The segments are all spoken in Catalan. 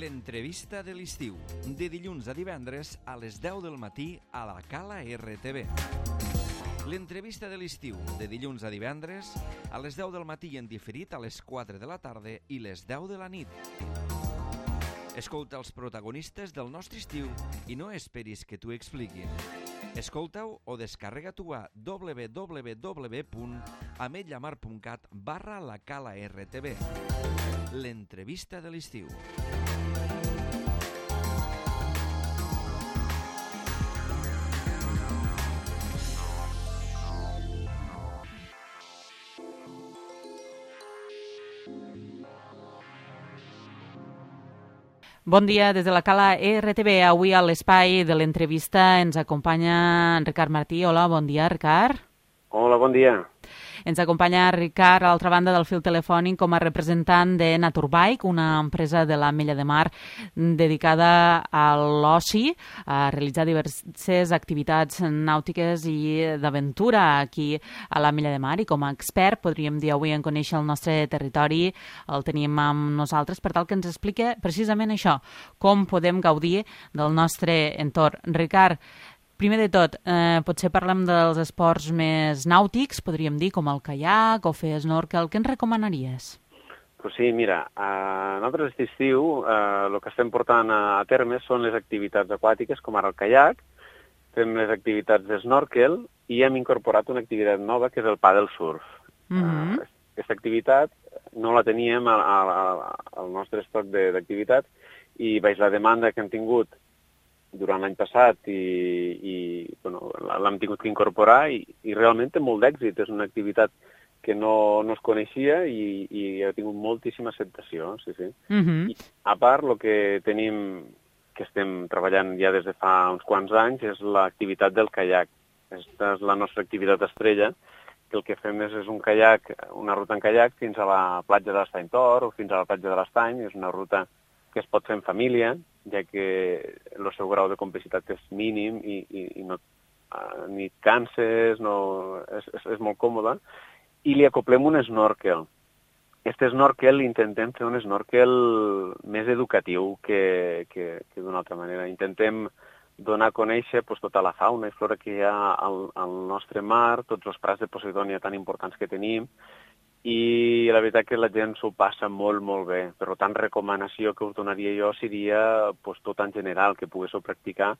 L'entrevista de l'estiu, de dilluns a divendres a les 10 del matí a la Cala RTV. L'entrevista de l'estiu, de dilluns a divendres a les 10 del matí i en diferit a les 4 de la tarda i les 10 de la nit. Escolta els protagonistes del nostre estiu i no esperis que t'ho expliquin. Escolta-ho o descarrega-t'ho a www.ametlllamar.cat/la Cala RTV. L'entrevista de l'estiu. Bon dia des de la Cala RTV. Avui a l'espai de l'entrevista ens acompanya en Ricard Martí. Hola, bon dia, Ricard. Hola, bon dia. Ens acompanya Ricard a l'altra banda del fil telefònic com a representant de Naturbike, una empresa de l'Ametlla de Mar dedicada a l'oci, a realitzar diverses activitats nàutiques i d'aventura aquí a l'Ametlla de Mar. I com a expert, podríem dir avui en conèixer el nostre territori, el tenim amb nosaltres per tal que ens explique precisament això, com podem gaudir del nostre entorn. Ricard, primer de tot, potser parlem dels esports més nàutics, podríem dir, com el caiac o fer snorkel. Què ens recomanaries? Pues sí, mira, nosaltres aquest estiu el que estem portant a terme són les activitats aquàtiques, com ara el caiac, fem les activitats de snorkel i hem incorporat una activitat nova que és el paddle surf. Aquesta activitat no la teníem al nostre estoc d'activitats i veig la demanda que hem tingut durant l'any passat i bueno, l'hem tingut que incorporar i realment té molt d'èxit. És una activitat que no es coneixia i ha tingut moltíssima acceptació. Sí. I a part, el que tenim, que estem treballant ja des de fa uns quants anys, és l'activitat del caiac. Aquesta és la nostra activitat estrella, que el que fem és un caiac, una ruta en caiac fins a la platja de l'Estany Tor o fins a la platja de l'Estany. És una ruta que es pot fer en família, ja que el seu grau de complicitat és mínim i no, ni et canses, és molt còmode, i li acoplem un snorkel. Aquest snorkel intentem fer un snorkel més educatiu que d'una altra manera. Intentem donar a conèixer tota la fauna i flora que hi ha al nostre mar, tots els prats de Posidònia tan importants que tenim, i la veritat que la gent s'ho passa molt, molt bé. Per tant, recomanació que us donaria jo seria tot en general, que poguéssiu practicar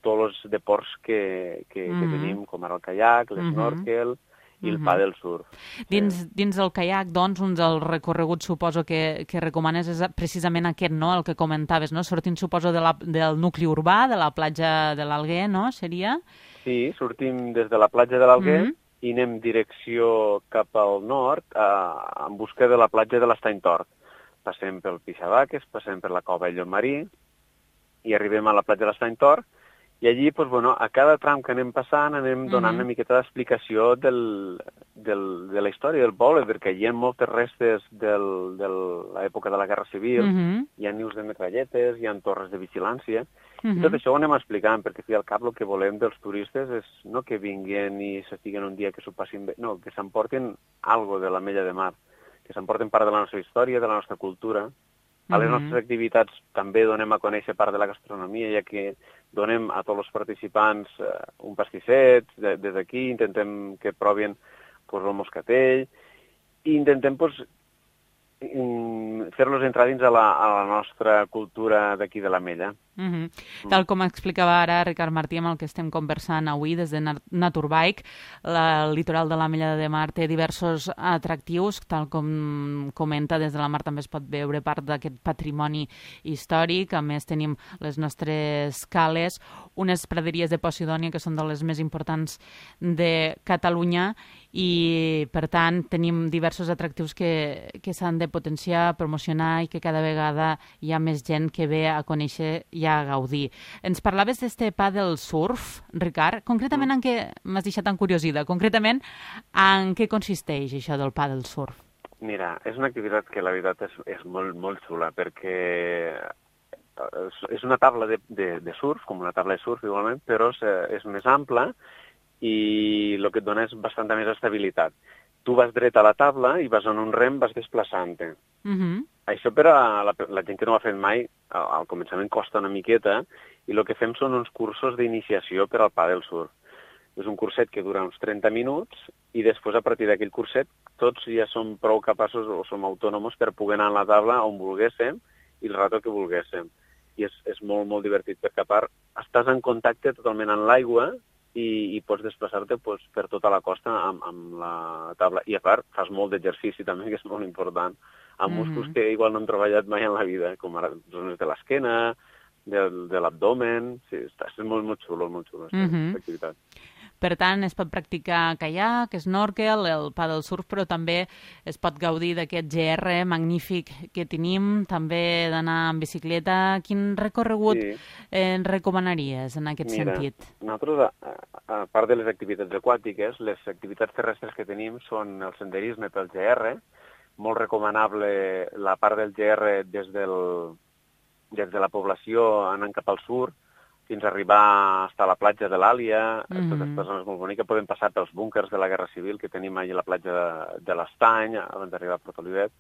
tots els deports que tenim, com ara el caiac, l'snorkel i el paddle surf. Dins del caiac, doncs, un dels recorreguts, suposo, que recomanes és precisament aquest, no?, el que comentaves, no? Sortint, suposo, del nucli urbà, de la platja de l'Alguer, no?, seria? Sí, sortim des de la platja de l'Alguer, i anem direcció cap al nord en busca de la platja de l'Estany Tor. Passem pel Pixabaques, passem per la Cova de Llomarí i arribem a la platja de l'Estany Tor i allí, a cada tram que anem passant anem donant una miqueta d'explicació de la història del poble, perquè hi ha moltes restes de l'època de la Guerra Civil, hi ha nius de metralletes, hi ha torres de vigilància, i tot això ho anem explicant, perquè al cap el que volem dels turistes és no que vinguin i s'estiguen un dia que s'ho passin bé, no, que s'emportin alguna de l'Ametlla de Mar, que s'emportin part de la nostra història, de la nostra cultura. A les nostres activitats també donem a conèixer part de la gastronomia, ja que donem a tots els participants un pastisset, des d'aquí intentem que provin el moscatell, i intentem fer-los entrar dins a la nostra cultura d'aquí de l'Ametlla. Tal com explicava ara Ricard Martí, amb el que estem conversant avui des de Naturbike, el litoral de l'Ametlla de Mar té diversos atractius, tal com comenta, des de la mar també es pot veure part d'aquest patrimoni històric. A més, tenim les nostres cales, unes praderies de Posidònia que són de les més importants de Catalunya i, per tant, tenim diversos atractius que s'han de potenciar, promocionar i que cada vegada hi ha més gent que ve a conèixer i a gaudir. Ens parlaves d'este paddle surf, Ricard. Concretament, en què m'has deixat encuriosida? Concretament, en què consisteix això del paddle surf? Mira, és una activitat que la veritat és molt, molt xula, perquè és una taula de surf, com una taula de surf igualment, però és més ampla i el que et dona és bastanta més estabilitat. Tu vas dret a la taula i vas en un rem, vas desplaçant-te. Això per a la gent que no ho ha fet mai, al començament costa una miqueta, i el que fem són uns cursos d'iniciació per al pàdel surf. És un curset que dura uns 30 minuts i després, a partir d'aquell curset, tots ja som prou capaços o som autònoms per poder anar a la taula on volguéssim i el rato que volguéssim. I és molt, molt divertit, perquè a part estàs en contacte totalment amb l'aigua i pots desplaçar-te per tota la costa amb la taula. I a part fas molt d'exercici també, que és molt important, amb músculs que igual no hem treballat mai en la vida, com ara zones de l'esquena, de l'abdomen. Sí, és molt, molt xulo, aquesta activitat. Per tant, es pot practicar caiac, snorkel, el paddle surf, però també es pot gaudir d'aquest GR magnífic que tenim, també d'anar en bicicleta. Quin recorregut ens recomanaries en aquest sentit? Nosaltres, a part de les activitats aquàtiques, les activitats terrestres que tenim són el senderisme pel GR, molt recomanable la part del GR des de la població anant cap al sud, fins a arribar a la platja de l'Àlia. Tota aquesta zona és molt bonica. Podem passar pels búnkers de la Guerra Civil que tenim allà a la platja de l'Estany, abans d'arribar a Port Olivet.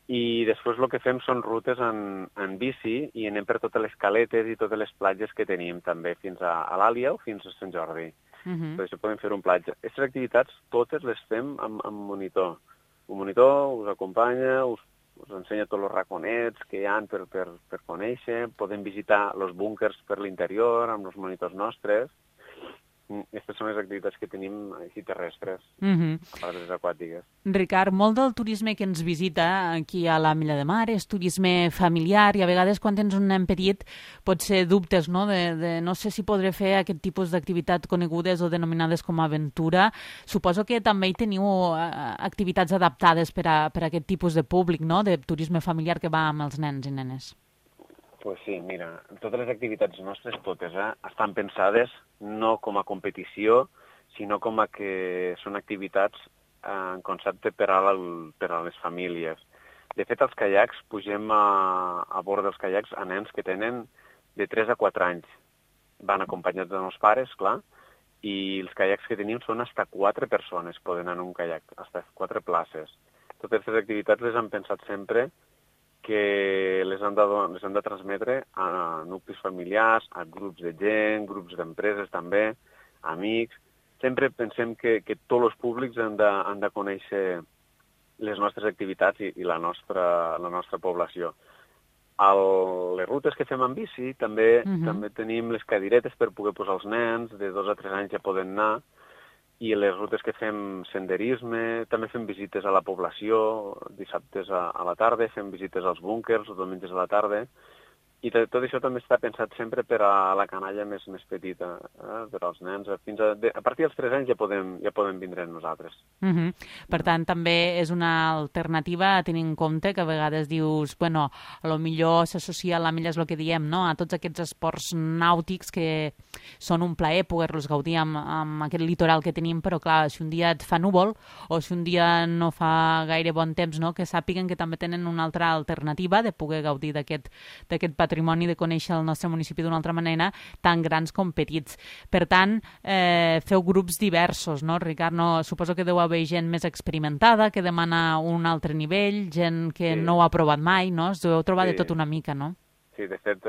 I després el que fem són rutes en bici i anem per totes les caletes i totes les platges que tenim, també fins a l'Àlia o fins a Sant Jordi. Per això podem fer un platja. Aquestes activitats totes les fem amb monitor. Un monitor us acompanya, us ensenya tots els raconets que hi ha per conèixer, podem visitar els búnkers per l'interior amb els monitors nostres. Aquestes són les activitats que tenim així terrestres, a part de les aquàtiques. Ricard, molt del turisme que ens visita aquí a l'Ametlla de Mar és turisme familiar i a vegades quan tens un nen petit pot ser dubtes, no? De no sé si podré fer aquest tipus d'activitats conegudes o denominades com a aventura. Suposo que també hi teniu activitats adaptades per a aquest tipus de públic, no? De turisme familiar que va amb els nens i nenes. Pues sí, mira, totes les activitats nostres, totes, estan pensades no com a competició, sinó com a que són activitats en concepte per a les famílies. De fet, els caiacs, pugem a bord dels caiacs a nens que tenen de 3 a 4 anys. Van acompanyats dels pares, clar, i els caiacs que tenim són fins a 4 persones, poden anar en un caiac, fins a 4 places. Totes aquestes activitats les han pensat sempre que les han de transmetre a nuclis familiars, a grups de gent, grups d'empreses també, amics. Sempre pensem que tots els públics han de conèixer les nostres activitats i la nostra població. Les rutes que fem en bici, també tenim les cadiretes per poder posar els nens, de 2 a 3 anys ja poden anar, i les rutes que fem senderisme, també fem visites a la població, dissabtes a la tarda, fem visites als búnkers, els diumenges a la tarda, i tot això també està pensat sempre per a la canalla més petita, per als nens. A partir dels 3 anys ja podem vindre amb nosaltres. Per tant, també és una alternativa a tenir en compte que a vegades dius, bueno, potser s'associa a l'Ametlla, és el que diem, no? A tots aquests esports nàutics que són un plaer poder-los gaudir amb aquest litoral que tenim, però clar, si un dia et fa núvol o si un dia no fa gaire bon temps, no? Que sàpiguen que també tenen una altra alternativa de poder gaudir d'aquest patrimoni, de conèixer el nostre municipi d'una altra manera, tan grans com petits. Per tant, feu grups diversos, no, Ricard? Suposo que deu haver gent més experimentada, que demana un altre nivell, gent que no ho ha provat mai, no? Es deveu trobar de tot una mica, no? Sí, de fet,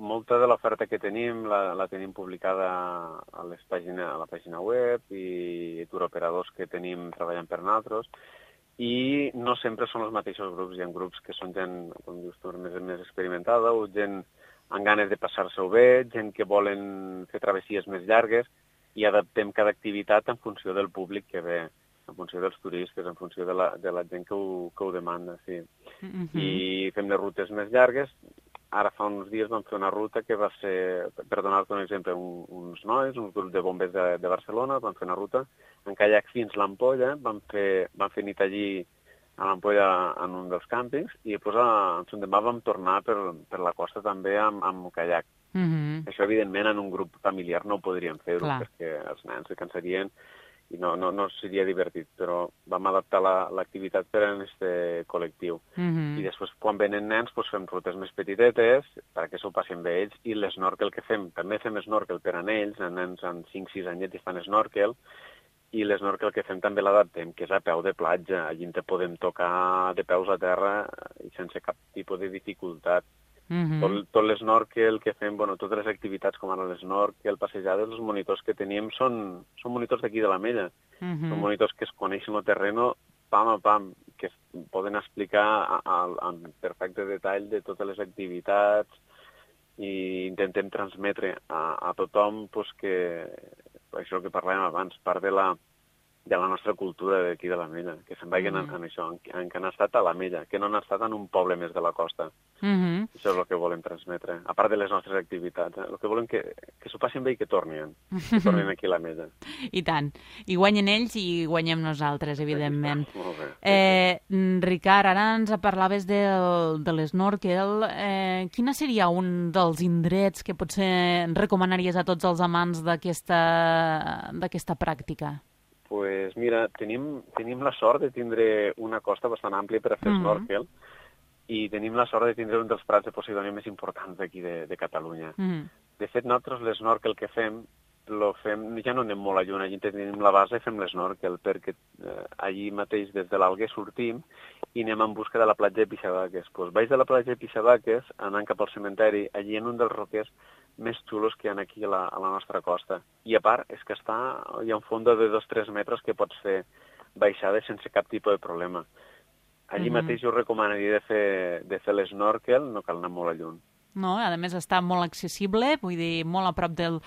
molta de l'oferta que tenim la tenim publicada a la pàgina web i turoperadors que tenim treballant per nosaltres. I no sempre són els mateixos grups. Hi ha grups que són gent, com dius tu, més experimentada, o gent amb ganes de passar-se-ho bé, gent que volen fer travessies més llargues, i adaptem cada activitat en funció del públic que ve, en funció dels turistes, en funció de la gent que ho demanda, sí. I fem les rutes més llargues. Ara fa uns dies vam fer una ruta que va ser, per donar-te un exemple, uns nois, uns grups de bombers de Barcelona, van fer una ruta en caiac fins l'Ampolla, van fer nit allí a l'Ampolla en un dels càmpings, i després l'endemà vam tornar per la costa també amb caiac. Això, evidentment, en un grup familiar no ho podríem fer-ho, perquè els nens se cansarien i no seria divertit, però vam adaptar l'activitat per a aquest col·lectiu. I després, quan venen nens, fem rutes més petitetes perquè s'ho passin bé ells, i l'esnorkel que fem, també fem snorkel per a ells, nens amb 5-6 anyets i fan snorkel, i l'snorkel que fem també l'adaptem, que és a peu de platja. Allí te podem tocar de peus a terra i sense cap tipus de dificultat. Tot l'snorkel que fem, totes les activitats com ara l'snorkel, passejades, els monitors que tenim són monitors d'aquí de l'Ametlla. Són monitors que es coneixen el terreno pam a pam, que poden explicar en perfecte detall de totes les activitats i intentem transmetre a tothom que això que parlàvem abans, part de la nostra cultura d'aquí de l'Ametlla, que se'n vagin en això, que han estat a l'Ametlla, que no han estat en un poble més de la costa. Això és el que volem transmetre, a part de les nostres activitats. El que volem que s'ho passin bé i que tornin aquí a l'Ametlla. I tant. I guanyen ells i guanyem nosaltres, evidentment. Molt bé. Ricard, ara ens parlaves de l'snorkel. Quina seria un dels indrets que potser recomanaries a tots els amants d'aquesta pràctica? Pues mira, tenim la sort de tindre una costa bastant àmplia per a fer snorkel i tenim la sort de tindre un dels prats de Posidònia més importants d'aquí de Catalunya. De fet, nosaltres l'snorkel que fem, ja no anem molt a lluny, allí tenim la base i fem l'snorkel, perquè allí mateix des de l'Alguer sortim i anem en busca de la platja de Pixabaques. Pues baix de la platja de Pixabaques, anant cap al cementeri, allí en un dels roquers més xulos que hi ha aquí a la nostra costa. I a part, és que hi ha un fons de 2-3 metres que pots fer baixades sense cap tipus de problema. Allí mateix jo recomanaria de fer l'snorkel, no cal anar molt a lluny. No? A més, està molt accessible, vull dir, molt a prop del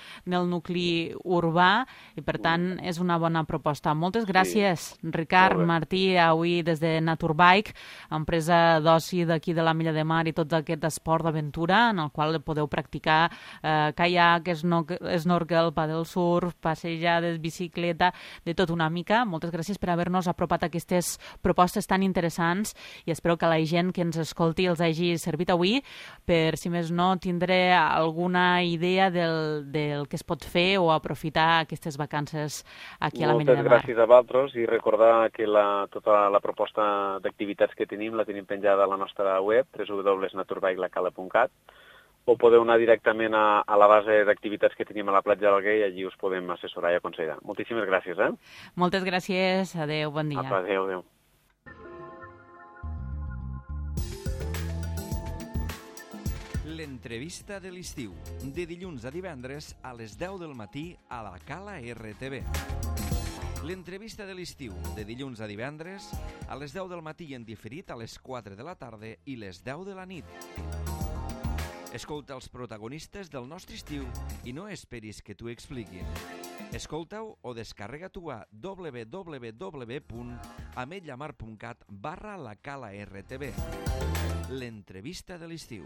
nucli urbà i, per tant, és una bona proposta. Moltes gràcies, Ricard Martí, avui des de Naturbike, empresa d'oci d'aquí de l'Ametlla de Mar i tot aquest esport d'aventura en el qual podeu practicar caiac, snorkel, paddle surf, passejades, bicicleta, de tot una mica. Moltes gràcies per haver-nos apropat aquestes propostes tan interessants i espero que la gent que ens escolti els hagi servit avui per, si més no, tindré alguna idea del que es pot fer o aprofitar aquestes vacances aquí a l'Ametlla de Mar. Moltes gràcies a vosaltres i recordar que tota la proposta d'activitats que tenim la tenim penjada a la nostra web, www.naturbike.cat, o podeu anar directament a la base d'activitats que tenim a la platja d'Alguer i allí us podem assessorar i aconsellar. Moltíssimes gràcies. Moltes gràcies. Adéu, bon dia. Adéu. L'entrevista de l'estiu, de dilluns a divendres a les 10 del matí a la Cala RTV. L'entrevista de l'estiu, de dilluns a divendres a les 10 del matí en diferit a les 4 de la tarda i les 10 de la nit. Escolta els protagonistes del nostre estiu i no esperis que t'ho expliquin. Escolta-ho o descarrega-t'ho a www.ametlamar.cat/la Cala RTV. L'entrevista de l'estiu.